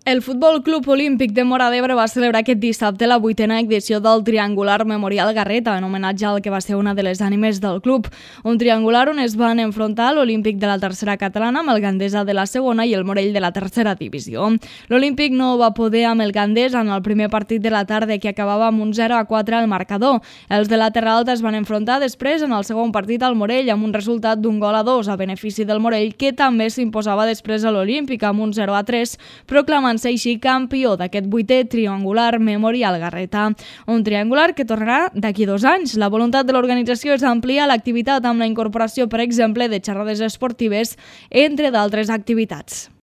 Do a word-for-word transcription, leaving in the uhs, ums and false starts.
El Futbol Club Olímpic de Móra d'Ebre va celebrar aquest dissabte la vuitena edició del Triangular Memorial Garreta, en homenatge al que va ser una de les ànimes del club. Un triangular on es van enfrontar l'Olímpic de la tercera catalana amb el Gandesa de la segona i el Morell de la tercera divisió. L'Olímpic no va poder amb el Gandesa en el primer partit de la tarda, que acabava amb un zero a quatre al marcador. Els de la Terra Alta es van enfrontar després en el segon partit al Morell amb un resultat d'un gol a dos a benefici del Morell, que també s'imposava després a l'Olímpic amb un zero a tres, proclamant ser així campió d'aquest vuitè Triangular Memorial Garreta. Un triangular que tornarà d'aquí dos anys. La voluntat de l'organització és ampliar l'activitat amb la incorporació, per exemple, de xerrades esportives, entre d'altres activitats.